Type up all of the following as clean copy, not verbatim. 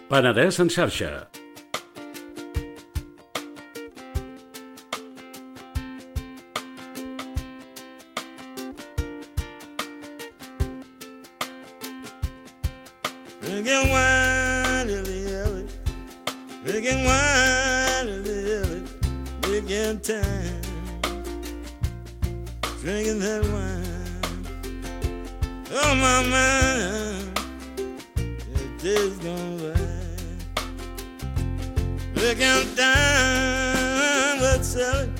Penedès en xarxa. Drinking wine, dilly-dilly. Drinking wine, dilly-dilly. Drinking time. Drinking that wine. Oh, my mind. The day's gone by. Drinking time, but selling.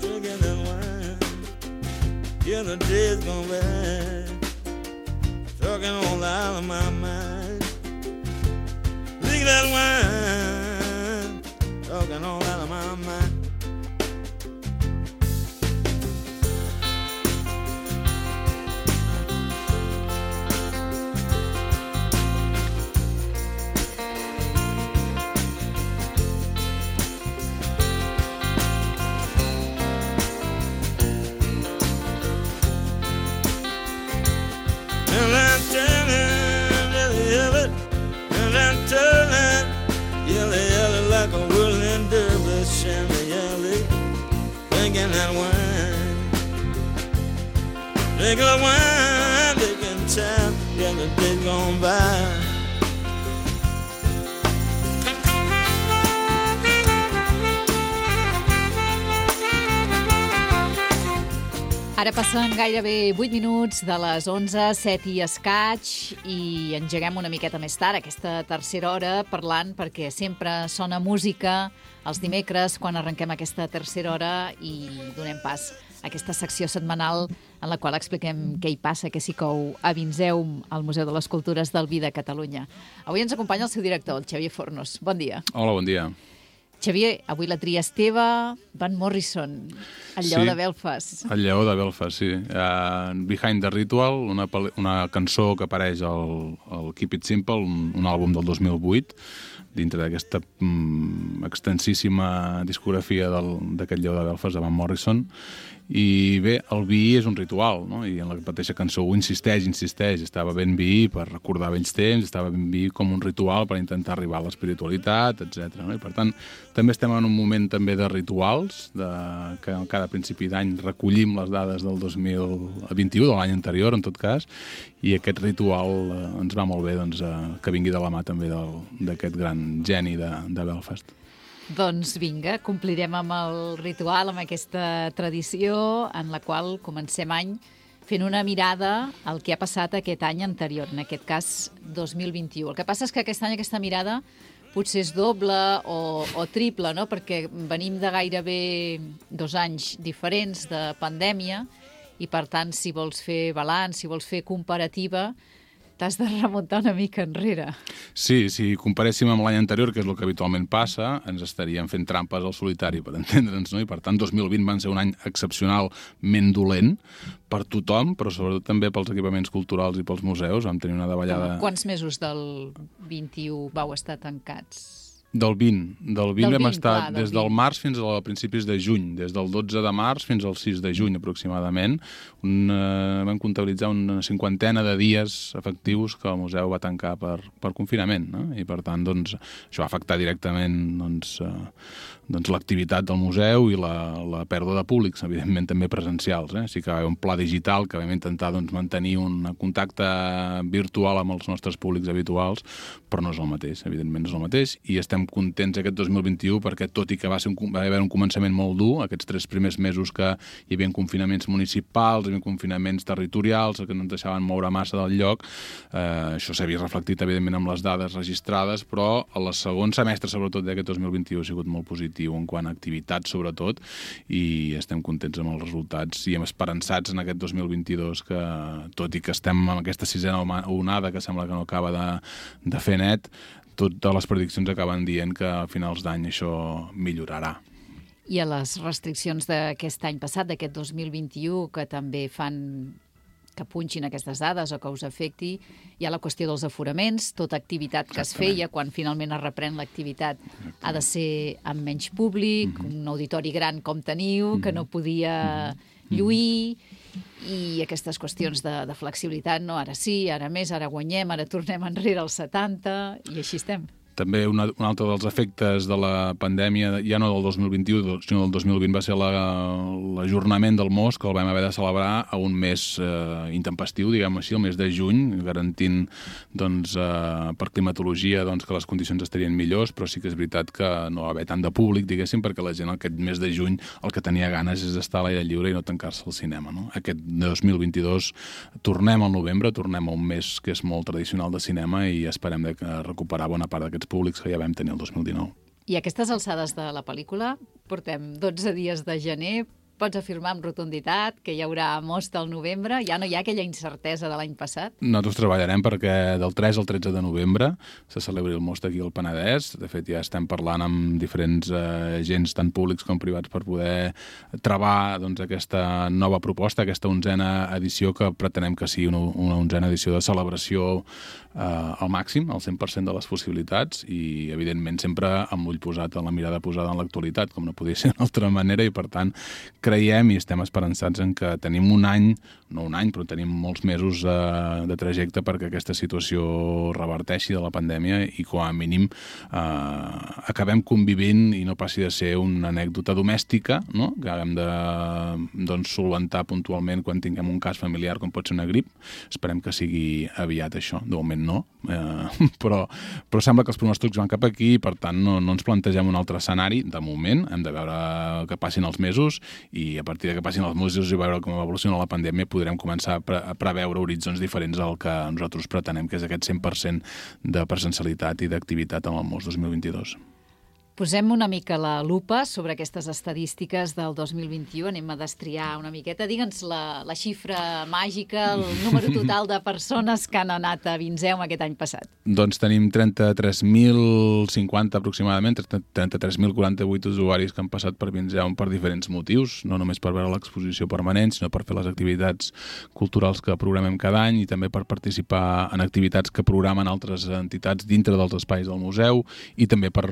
Drinking that wine. Yeah, the day's gone by. Talking all out of my mind. Drink that wine. Talking all out of my mind. And I'm turning, yellow, and I'm turning, yellow, like a whirling dervish, yellow, drinking that wine, drinking that wine, drinking time, yeah, the day's gone by. Ara passen gairebé 8 minuts de les 11, 7 i escaig, i engeguem una miqueta més tard aquesta tercera hora parlant, perquè sempre sona música els dimecres quan arrenquem aquesta tercera hora i donem pas a aquesta secció setmanal en la qual expliquem què hi passa, què s'hi cou a Vinzeum, al Museu de les Cultures del Vi de Catalunya. Avui ens acompanya el seu director, el Xavier Fornos. Bon dia. Hola, bon dia. Xavier, avui la tria és teva, Van Morrison, el lleó de Belfast. El lleó de Belfast, sí. Behind the Ritual, una cançó que apareix al Keep It Simple, un àlbum del 2008, dintre d'aquesta extensíssima discografia d'aquest lleó de Belfast, de Van Morrison. I bé, el vi és un ritual, no? I en la mateixa cançó ho insisteix, estava ben vi per recordar vells temps, estava ben vi com un ritual per intentar arribar a l'espiritualitat, etc. No? I per tant, també estem en un moment també de rituals, que cada principi d'any recollim les dades del 2021, de l'any anterior, en tot cas, i aquest ritual ens va molt bé doncs, que vingui de la mà també d'aquest gran geni de Belfast. Doncs vinga, complirem amb el ritual, amb aquesta tradició en la qual comencem any fent una mirada al que ha passat aquest any anterior, en aquest cas 2021. El que passa és que aquest any aquesta mirada potser és doble o triple, no? Perquè venim de gairebé 2 anys diferents de pandèmia i, per tant, si vols fer balanç, si vols fer comparativa, t'has de remuntar una mica enrere. Sí, si comparéssim amb l'any anterior, que és el que habitualment passa, ens estaríem fent trampes al solitari, per entendre'ns, no? I per tant, 2020 van ser un any excepcionalment dolent per tothom, però sobretot també pels equipaments culturals i pels museus. Vam tenir una davallada... Quants mesos del 21 vau estar tancats? Del 20 vam estar des del març fins a principis de juny, des del 12 de març fins al 6 de juny aproximadament. Vam comptabilitzar una 50ena de dies efectius que el museu va tancar per confinament, no? I per tant doncs, això va afectar directament l'activitat del museu i la pèrdua de públics, evidentment també presencials. Sí que va haver un pla digital que vam intentar mantenir un contacte virtual amb els nostres públics habituals, però no és el mateix, evidentment no és el mateix, i estem contents aquest 2021 perquè, tot i que va haver un començament molt dur, aquests 3 primers mesos que hi havia confinaments municipals, hi havia confinaments territorials, que no ens deixaven moure massa del lloc, això s'ha vist reflectit evidentment amb les dades registrades, però el segon semestre sobretot d'aquest 2021 ha sigut molt positiu en quant a activitat sobretot, i estem contents amb els resultats i hem esperançats en aquest 2022 que, tot i que estem en aquesta 6a onada que sembla que no acaba de fer net, totes les prediccions acaben dient que a finals d'any això millorarà. I a les restriccions d'aquest any passat, d'aquest 2021, que també fan que punxin aquestes dades o que us afecti, hi ha la qüestió dels aforaments, tota activitat que es feia, quan finalment es reprèn l'activitat, ha de ser amb menys públic, un auditori gran com teniu, que no podia lluir, i aquestes qüestions de flexibilitat, no? Ara sí, ara més, ara guanyem, ara tornem enrere als 70, i així estem. També un altre dels efectes de la pandèmia, ja no del 2021, sinó del 2020, va ser l'ajornament del MOS, que el vam haver de celebrar a un mes intempestiu, diguem així, el mes de juny, garantint doncs, per climatologia doncs, que les condicions estarien millors, però sí que és veritat que no va haver tant de públic, diguéssim, perquè la gent aquest mes de juny el que tenia ganes és d'estar a l'aire lliure i no tancar-se al cinema. No? Aquest 2022 tornem al novembre, tornem a un mes que és molt tradicional de cinema i esperem de recuperar bona part d'aquests públics que ja vam tenir el 2019. I a aquestes alçades de la pel·lícula, portem 12 dies de gener, pots afirmar amb rotunditat que hi haurà MOS del novembre? Ja no hi ha aquella incertesa de l'any passat? Nosaltres treballarem perquè del 3 al 13 de novembre se celebri el MOS d'aquí al Penedès. De fet, ja estem parlant amb diferents agents, tant públics com privats, per poder travar doncs, aquesta nova proposta, aquesta 11a edició, que pretenem que sigui una 11a edició de celebració al màxim, al 100% de les possibilitats i, evidentment, sempre amb l'ull posat, amb la mirada posada en l'actualitat, com no podia ser d'altra manera, i, per tant, creiem i estem esperançats en que tenim un any, no un any, però tenim molts mesos de trajecte perquè aquesta situació reverteixi de la pandèmia i, com a mínim, acabem convivint i no passi de ser una anècdota domèstica, no? Que haguem de solventar puntualment quan tinguem un cas familiar, com pot ser una grip. Esperem que sigui aviat això. De moment no, però sembla que els pronòstics van cap aquí i, per tant, no ens plantegem un altre escenari. De moment hem de veure que passin els mesos i a partir de que passin els mesos i veure com evoluciona la pandèmia podrem començar a preveure horitzons diferents al que nosaltres pretenem, que és aquest 100% de presencialitat i d'activitat en el MOS 2022. Posem una mica la lupa sobre aquestes estadístiques del 2021. Anem a destriar una miqueta. Digue'ns la xifra màgica, el número total de persones que han anat a Vinzeum aquest any passat. Doncs tenim 33.050 aproximadament, 33.048 usuaris que han passat per Vinzeum per diferents motius, no només per veure l'exposició permanent, sinó per fer les activitats culturals que programem cada any i també per participar en activitats que programen altres entitats dintre dels espais del museu i també per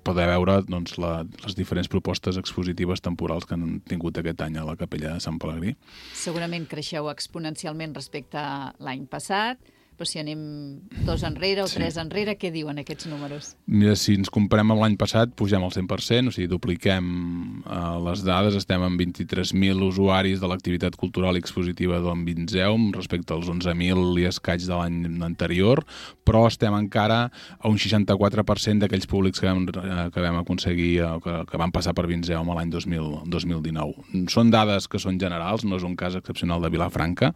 poder veure doncs, les diferents propostes expositives temporals que han tingut aquest any a la Capella de Sant Pelegrí. Segurament creixeu exponencialment respecte a l'any passat, però si anem 2 enrere o 3 enrere, què diuen aquests números? Mira, si ens comparem amb l'any passat, pugem al 100%, o sigui, dupliquem les dades, estem amb 23.000 usuaris de l'activitat cultural i expositiva d'On Vinzeum respecte als 11.000 i escaig de l'any anterior, però estem encara a un 64% d'aquells públics que vam aconseguir, que van passar per Vinzeum l'any 2019. Són dades que són generals, no és un cas excepcional de Vilafranca.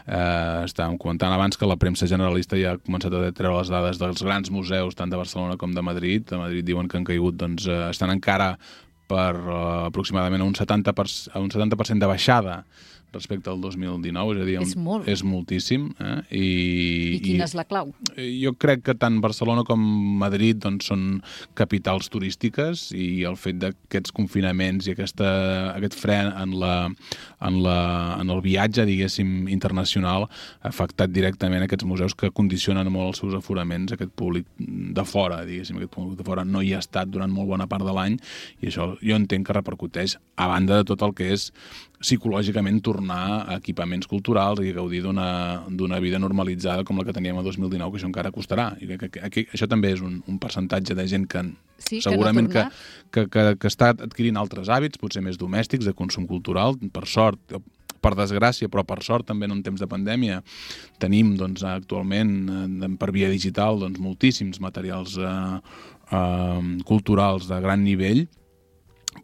Estàvem comentant abans que la premsa generalista ja ha començat a treure les dades dels grans museus, tant de Barcelona com de Madrid. A Madrid diuen que han caigut, doncs, estan encara per aproximadament un 70% de baixada respecte al 2019, és a dir, és moltíssim. I quina és la clau? Jo crec que tant Barcelona com Madrid doncs, són capitals turístiques i el fet d'aquests confinaments i aquest fre en el viatge, diguéssim, internacional ha afectat directament aquests museus que condicionen molt els seus aforaments, aquest públic de fora, diguéssim, aquest públic de fora no hi ha estat durant molt bona part de l'any i això jo entenc que repercuteix a banda de tot el que és psicològicament tornar a equipaments culturals i gaudir d'una vida normalitzada com la que teníem a 2019, que això encara costarà. I que això també és un percentatge de gent que segurament que està adquirint altres hàbits, potser més domèstics, de consum cultural, per sort, per desgràcia, però per sort també en un temps de pandèmia tenim doncs, actualment per via digital doncs, moltíssims materials culturals de gran nivell,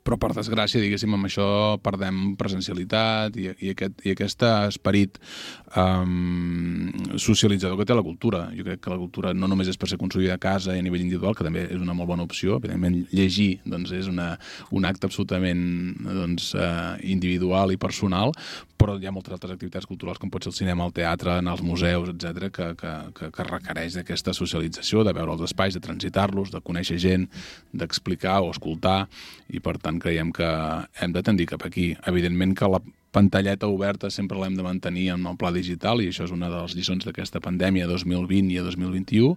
però per desgràcia, diguéssim, amb això perdem presencialitat i aquest esperit socialitzador que té la cultura. Jo crec que la cultura no només és per ser consumida a casa i a nivell individual, que també és una molt bona opció. Evidentment, llegir doncs, és un acte absolutament doncs, individual i personal, però hi ha moltes altres activitats culturals, com pot ser el cinema, el teatre, anar als museus, etc., que requereix d'aquesta socialització, de veure els espais, de transitar-los, de conèixer gent, d'explicar o escoltar, i per tant creiem que hem de tendir cap aquí. Evidentment que la pantalleta oberta sempre l'hem de mantenir en el pla digital i això és una de les lliçons d'aquesta pandèmia 2020 i 2021,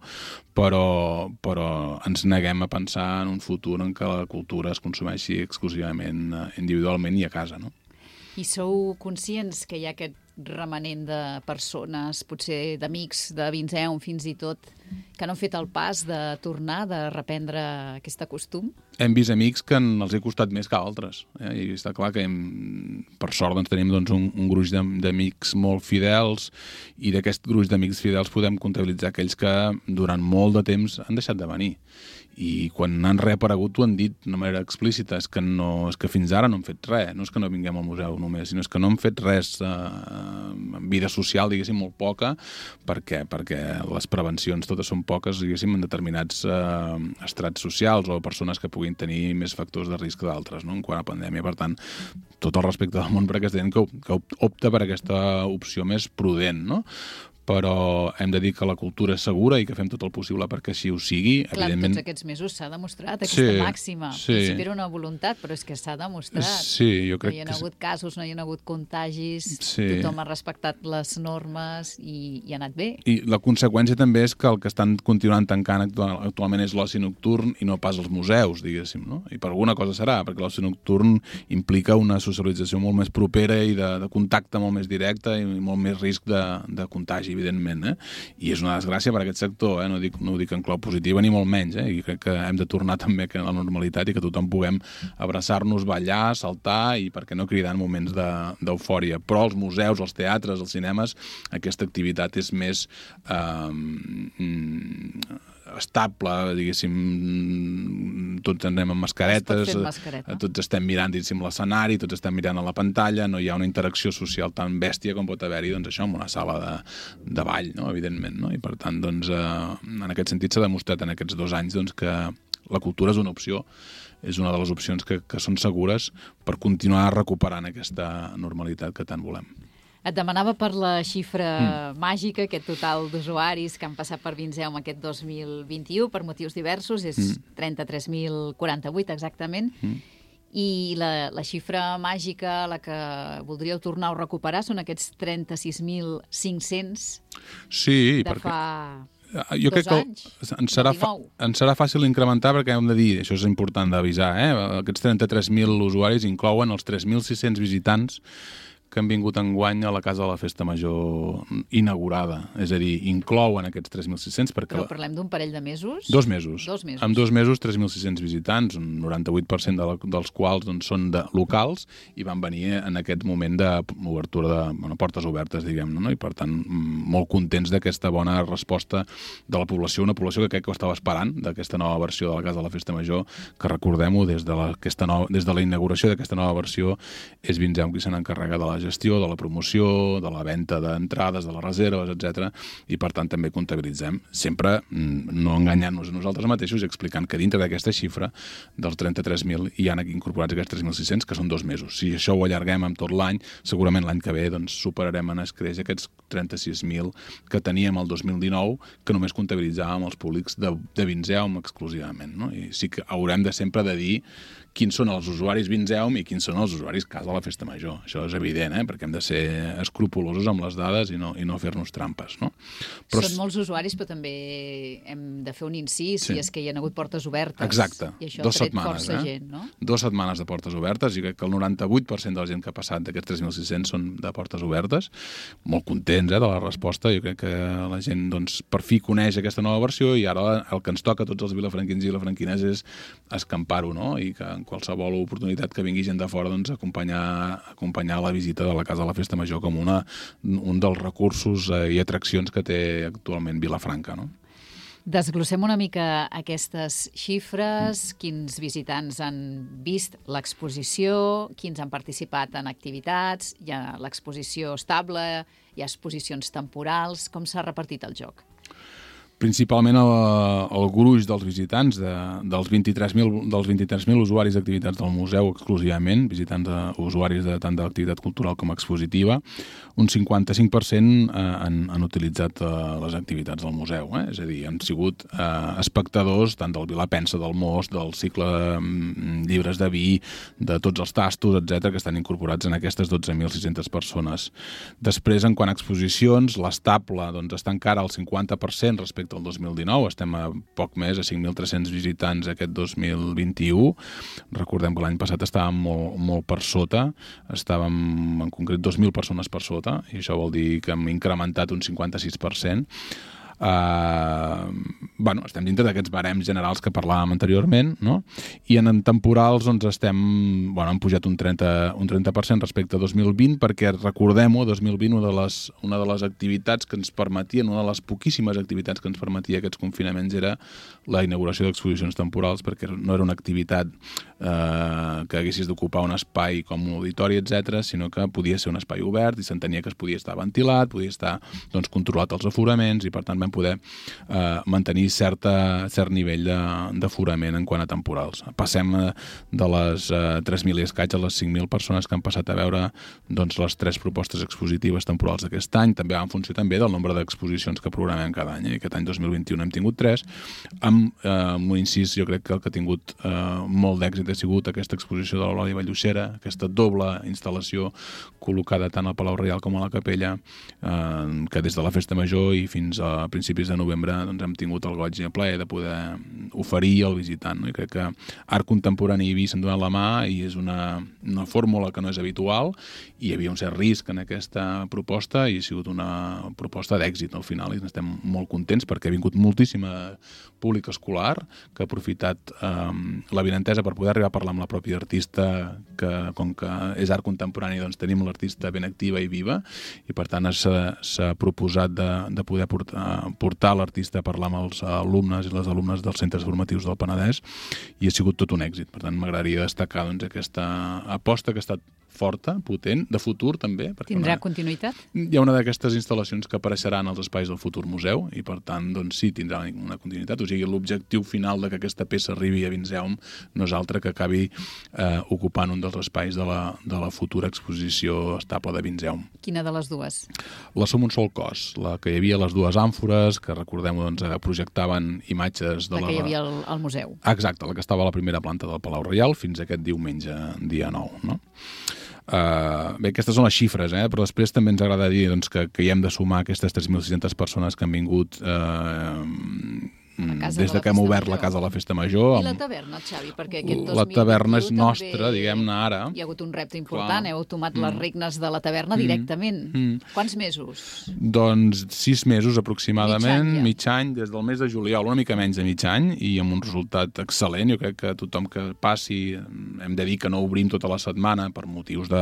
però ens neguem a pensar en un futur en què la cultura es consumeixi exclusivament individualment i a casa, no? I sou conscients que hi ha aquest remanent de persones, potser d'amics de Vinzeum fins i tot, que que no han fet el pas de tornar, de reprendre aquest costum? Hem vist amics que els ha costat més que altres. I està clar que per sort tenim un gruix d'amics molt fidels, i d'aquest gruix d'amics fidels podem comptabilitzar aquells que durant molt de temps han deixat de venir. I quan han reaparegut ho han dit d'una manera explícita, és que fins ara no hem fet res, no és que no vinguem al museu només, sinó és que no hem fet res en vida social, diguéssim, molt poca, perquè les prevencions totes són poques, diguéssim, en determinats estrats socials o persones que puguin tenir més factors de risc d'altres, no?, en quant a pandèmia. Per tant, tot el respecte del món per aquesta gent que opta per aquesta opció més prudent, no? Però hem de dir que la cultura és segura i que fem tot el possible perquè així ho sigui. Clar, evidentment... tots aquests mesos s'ha demostrat aquesta màxima. Sí. Principi era una voluntat, però és que s'ha demostrat. Sí, jo crec que... No hi ha hagut casos, no hi ha hagut contagis, tothom ha respectat les normes i ha anat bé. I la conseqüència també és que el que estan continuant tancant actualment és l'oci nocturn i no pas els museus, diguéssim, no? I per alguna cosa serà, perquè l'oci nocturn implica una socialització molt més propera i de contacte molt més directe i molt més risc de contagi, evidentment, i és una desgràcia per a aquest sector, no ho dic en clau positiva ni molt menys, i crec que hem de tornar també a la normalitat i que tothom puguem abraçar-nos, ballar, saltar i, per què no, cridar en moments d'eufòria. Però els museus, els teatres, els cinemes, aquesta activitat és més estable, diguéssim, tots anem amb mascaretes, tots estem mirant, diguéssim, l'escenari, tots estem mirant a la pantalla, no hi ha una interacció social tan bèstia com pot haver-hi, doncs això, en una sala de ball, no?, evidentment, no? I per tant, doncs, en aquest sentit s'ha demostrat en aquests 2 anys doncs, que la cultura és una opció, és una de les opcions que són segures per continuar recuperant aquesta normalitat que tant volem. Et demanava per la xifra màgica, aquest total d'usuaris que han passat per Vinzeume aquest 2021 per motius diversos, és 33.048 exactament, i la xifra màgica, la que voldríeu tornar a recuperar, són aquests 36.500 de fa... Jo crec que ens serà fàcil incrementar, perquè hem de dir, això és important d'avisar, aquests 33.000 usuaris inclouen els 3.600 visitants que han vingut enguany a la Casa de la Festa Major inaugurada. És a dir, inclouen aquests 3.600 perquè... Però parlem d'un parell de mesos? 2 mesos. En 2 mesos, 3.600 visitants, un 98% dels quals són locals i van venir en aquest moment d'obertura de portes obertes, diguem-ne, no? I per tant, molt contents d'aquesta bona resposta de la població, una població que crec que ho estava esperant, d'aquesta nova versió de la Casa de la Festa Major, que recordem-ho, des de la inauguració d'aquesta nova versió, és Vinzeume qui se n'encarrega de la gestió, de la promoció, de la venda d'entrades, de les reserves, etc. I per tant també comptabilitzem, sempre no enganyant-nos a nosaltres mateixos i explicant que dintre d'aquesta xifra dels 33.000 hi han incorporats aquests 3.600, que són 2 mesos. Si això ho allarguem amb tot l'any, segurament l'any que ve superarem en escreix aquests 36.000 que teníem el 2019, que només comptabilitzàvem els públics de Vinzeume exclusivament, no? I sí que haurem de sempre de dir quins són els usuaris Vinzeume i quins són els usuaris Casa de la Festa Major. Això és evident, perquè hem de ser escrupulosos amb les dades i no fer-nos trampes, no? Són molts usuaris, però també hem de fer un incís, i és que hi ha hagut portes obertes. Exacte. I això ha tret força gent, no? 2 setmanes de portes obertes, i crec que el 98% de la gent que ha passat d'aquests 3.600 són de portes obertes. Molt contents de la resposta. Jo crec que la gent, per fi coneix aquesta nova versió, i ara el que ens toca a tots els vilafranquins i vilafranquines és escampar-ho, no? I que en qualsevol oportunitat que vingui gent de fora, acompanyar la visita de la Casa de la Festa Major com un dels recursos i atraccions que té actualment Vilafranca, no? Desglossem una mica aquestes xifres, quins visitants han vist l'exposició, quins han participat en activitats, hi ha l'exposició estable, hi ha exposicions temporals, com s'ha repartit el joc? Principalment el gruix dels visitants, dels 23.000 usuaris d'activitats del museu exclusivament, visitants usuaris tant de l'activitat cultural com expositiva, un 55% han utilitzat les activitats del museu. És a dir, han sigut espectadors tant del Vilapensa, del Most, del cicle llibres de vi, de tots els tastos, etc., que estan incorporats en aquestes 12.600 persones. Després, en quant a exposicions, l'estable està encara al 50% respecte al 2019, estem a poc més, a 5.300 visitants aquest 2021. Recordem que l'any passat estàvem molt per sota, estàvem en concret 2.000 persones per sota, i això vol dir que hem incrementat un 56%. estem dintre d'aquests barems generals que parlàvem anteriorment, no? I en temporals doncs hem pujat un 30% respecte a 2020, perquè recordem-ho, 2020 una de les activitats que ens permetien, una de les poquíssimes activitats que ens permetia aquests confinaments era la inauguració d'exposicions temporals, perquè no era una activitat que haguessis d'ocupar un espai com un auditori, etc., sinó que podia ser un espai obert i s'entenia que es podia estar ventilat, podia estar controlat els aforaments, i per tant vam poder mantenir cert nivell d'aforament en quant a temporals. Passem de les 3.000 i escaig a les 5.000 persones que han passat a veure les 3 propostes expositives temporals d'aquest any. També va en funció també del nombre d'exposicions que programem cada any. Aquest any 2021 hem tingut 3. Amb un incís, jo crec que el que ha tingut molt d'èxit ha sigut aquesta exposició de l'Eulàlia Valldussera, aquesta doble instal·lació col·locada tant al Palau Reial com a la Capella, que des de la Festa Major i fins a principis de novembre hem tingut el goig i el plaer de poder oferir al visitant. I crec que art contemporani i vi s'han donat la mà i és una fórmula que no és habitual, i hi havia un cert risc en aquesta proposta i ha sigut una proposta d'èxit al final, i estem molt contents perquè ha vingut moltíssima públic escolar que ha aprofitat l'avinentesa per poder arribar a parlar amb la pròpia artista, que com que és art contemporani tenim l'artista ben activa i viva, i per tant s'ha proposat de poder portar l'artista a parlar amb els alumnes i les alumnes dels centres formatius del Penedès, i ha sigut tot un èxit. Per tant, m'agradaria destacar aquesta aposta que ha estat forta, potent, de futur també. Tindrà continuïtat? Hi ha una d'aquestes instal·lacions que apareixeran als espais del futur museu, i per tant, sí, tindrà una continuïtat. O sigui, l'objectiu final de que aquesta peça arribi a Vinzeum no és altre que acabi ocupant un dels espais de la futura exposició estable de Vinzeum. Quina de les dues? La Som un sol cos, la que hi havia les dues àmfores, que recordem-ho, projectaven imatges de la que hi havia al museu. Exacte, la que estava a la primera planta del Palau Reial fins aquest diumenge, dia 9, no? Bé, aquestes són les xifres, però després també ens agrada dir que hi hem de sumar aquestes 3.600 persones que han vingut des que hem obert la Casa de la Festa Major. I la taverna, Xavi? Perquè aquest 2021 la taverna és nostra, diguem-ne, ara. Hi ha hagut un repte important, heu tomat les regnes de la taverna directament. Quants mesos? Doncs 6 mesos aproximadament, mig any, des del mes de juliol, una mica menys de mig any, i amb un resultat excel·lent. Jo crec que tothom que passi, hem de dir que no obrim tota la setmana per motius de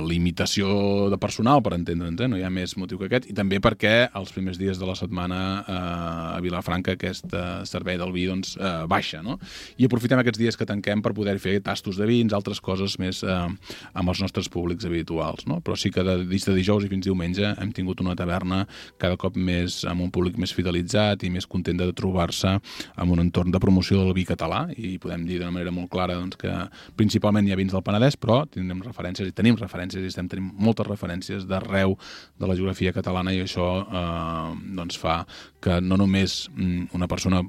limitació de personal, per entendre'ns, no hi ha més motiu que aquest, i també perquè els primers dies de la setmana a Vilafranca aquest servei del vi baixa, no? I aprofitem aquests dies que tanquem per poder fer tastos de vins, altres coses més amb els nostres públics habituals, no? Però sí que de dijous i fins diumenge hem tingut una taverna cada cop més amb un públic més fidelitzat i més content de trobar-se en un entorn de promoció del vi català, i podem dir d'una manera molt clara que principalment hi ha vins del Penedès, però tenim referències i estem tenint moltes referències d'arreu de la geografia catalana, i això fa que no només una persona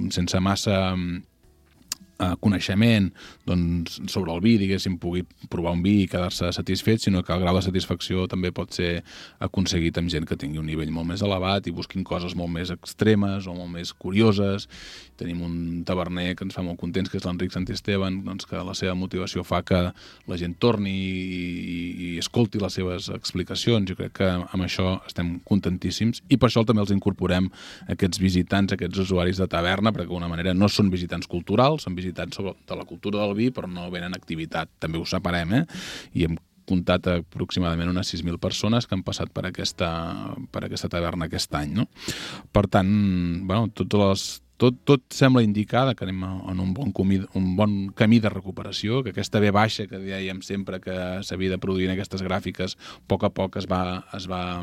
sense massa coneixement sobre el vi, diguéssim, pugui provar un vi i quedar-se satisfet, sinó que el grau de satisfacció també pot ser aconseguit amb gent que tingui un nivell molt més elevat i busquin coses molt més extremes o molt més curioses. Tenim un taverner que ens fa molt contents, que és l'Enric Santisteban, que la seva motivació fa que la gent torni i escolti les seves explicacions. Jo crec que amb això estem contentíssims, i per això també els incorporem aquests visitants, aquests usuaris de taverna, perquè d'alguna manera no són visitants culturals, són visitants de la cultura del vi, però no venen activitat. També ho separem, i hem comptat aproximadament unes 6.000 persones que han passat per aquesta taverna aquest any, no? Per tant, tot sembla indicar que anem en un bon camí de recuperació, que aquesta V baixa que dèiem sempre que s'havia de produir en aquestes gràfiques, a poc es va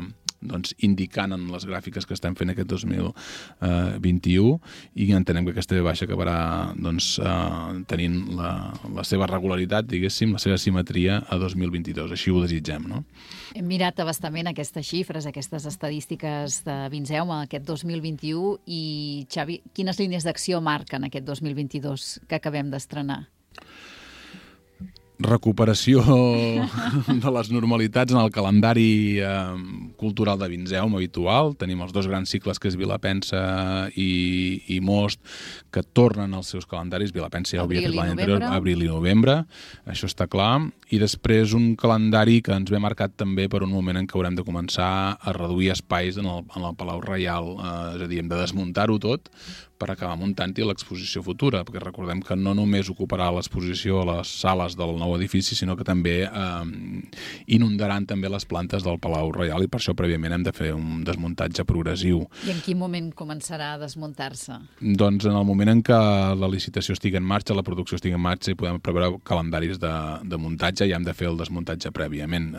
indicant en les gràfiques que estem fent aquest 2021, i entenem que aquesta V baixa acabarà tenint la seva regularitat, diguéssim, la seva simetria a 2022. Així ho desitgem, no? Hem mirat abastament aquestes xifres, aquestes estadístiques de Vinzeum aquest 2021, i Xavi, quines línies d'acció marquen aquest 2022 que acabem d'estrenar? recuperació de les normalitats en el calendari cultural de Vinzeum habitual. Tenim els 2 grans cicles, que és Vilapensa i Most, que tornen als seus calendaris. Vilapensa ja ho havia fet l'any anterior, abril i novembre, això està clar. I després un calendari que ens ve marcat també per un moment en què haurem de començar a reduir espais en el Palau Reial, és a dir, hem de desmuntar-ho tot per acabar muntant-hi l'exposició futura, perquè recordem que no només ocuparà l'exposició a les sales del nou edifici, sinó que també inundaran també les plantes del Palau Reial, i per això prèviament hem de fer un desmuntatge progressiu. I en quin moment començarà a desmuntar-se? Doncs en el moment en què la licitació estigui en marxa, la producció estigui en marxa, i podem preveure calendaris de muntatge, ja hem de fer el desmuntatge prèviament.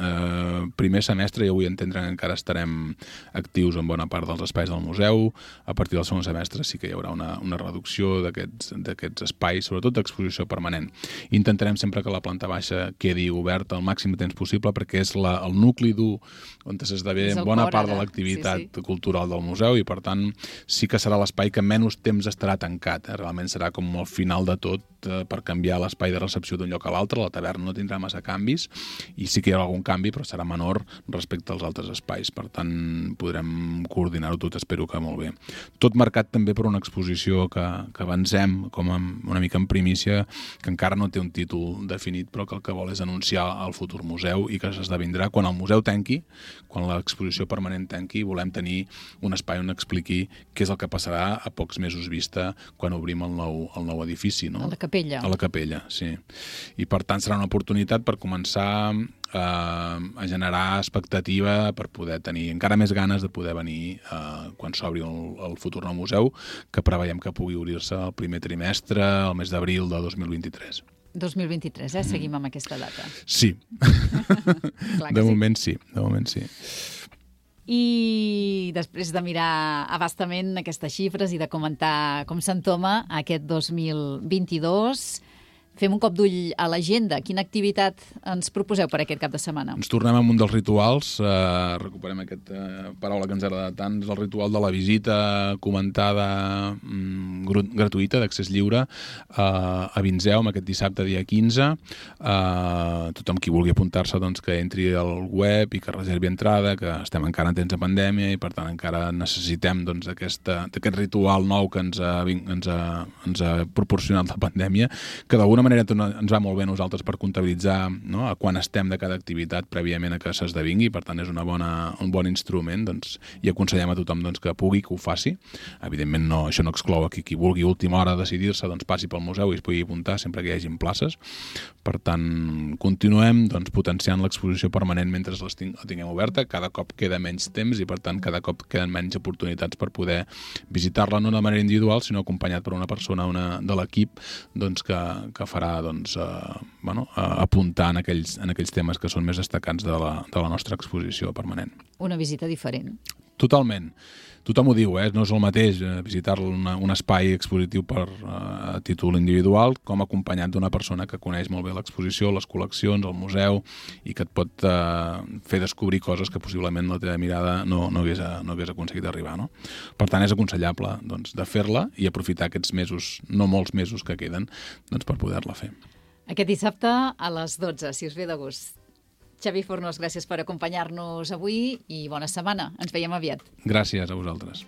Primer semestre ja vull entendre que encara estarem actius en bona part dels espais del museu. A partir del segon semestre sí que hi haurà una reducció d'aquests espais, sobretot d'exposició permanent. Intentarem sempre que la planta baixa quedi oberta el màxim de temps possible, perquè és el nucli dur on s'esdevé bona part de l'activitat cultural del museu, i per tant sí que serà l'espai que menys temps estarà tancat. Realment serà com el final de tot, per canviar l'espai de recepció d'un lloc a l'altre. La taverna no tindrà massa canvis, i sí que hi haurà algun canvi, però serà menor respecte als altres espais. Per tant, podrem coordinar-ho tot, espero que molt bé. Tot marcat també per una exposició que avancem com una mica en primícia, que encara no té un títol definit, però que el que vol és anunciar el futur museu, i que s'esdevindrà quan el museu tanqui, quan l'exposició permanent tanqui. Volem tenir un espai on expliqui què és el que passarà a pocs mesos vista quan obrim el nou edifici, no? A la capella. A la capella, sí. I per tant serà una oportunitat per començar a generar expectativa, per poder tenir encara més ganes de poder venir quan s'obri el futur nou museu, que preveiem que pugui obrir-se el primer trimestre, el mes d'abril de 2023. 2023, seguim amb aquesta data. Sí. De moment sí. I després de mirar abastament aquestes xifres i de comentar com s'entoma aquest 2022, fem un cop d'ull a l'agenda. Quina activitat ens proposeu per aquest cap de setmana? Ens tornem amb un dels rituals, recuperem aquesta paraula que ens agrada tant, és el ritual de la visita comentada gratuïta, d'accés lliure, a Vinzeum aquest dissabte, dia 15. Tothom qui vulgui apuntar-se, doncs, que entri al web i que reservi entrada, que estem encara en temps de pandèmia i per tant encara necessitem, doncs, d'aquest ritual nou que ens ha proporcionat la pandèmia, que d'alguna manera ens va molt bé a nosaltres per comptabilitzar, no?, a quan estem de cada activitat prèviament a que s'esdevingui. Per tant, és un bon instrument, doncs, i aconsellem a tothom, doncs, que pugui, que ho faci. Evidentment, això no exclou que qui vulgui a última hora decidir-se, doncs, passi pel museu i es pugui apuntar sempre que hi hagin places. Per tant, continuem, doncs, potenciant l'exposició permanent mentre la tinguem oberta. Cada cop queda menys temps i, per tant, cada cop queden menys oportunitats per poder visitar-la, no de manera individual, sinó acompanyat per una persona de l'equip, doncs, que farà, doncs, apuntar en aquells temes que són més destacats de la nostra exposició permanent. Una visita diferent. Totalment. Tothom ho diu, no és el mateix visitar un espai expositiu a títol individual com acompanyat d'una persona que coneix molt bé l'exposició, les col·leccions, el museu, i que et pot fer descobrir coses que possiblement la teva mirada no hagués aconseguit arribar, no? Per tant, és aconsellable, doncs, de fer-la i aprofitar aquests mesos, no molts mesos que queden, doncs, per poder-la fer. Aquest dissabte a les 12, si us ve de gust. Xavi Fornós, gràcies per acompanyar-nos avui i bona setmana. Ens veiem aviat. Gràcies a vosaltres.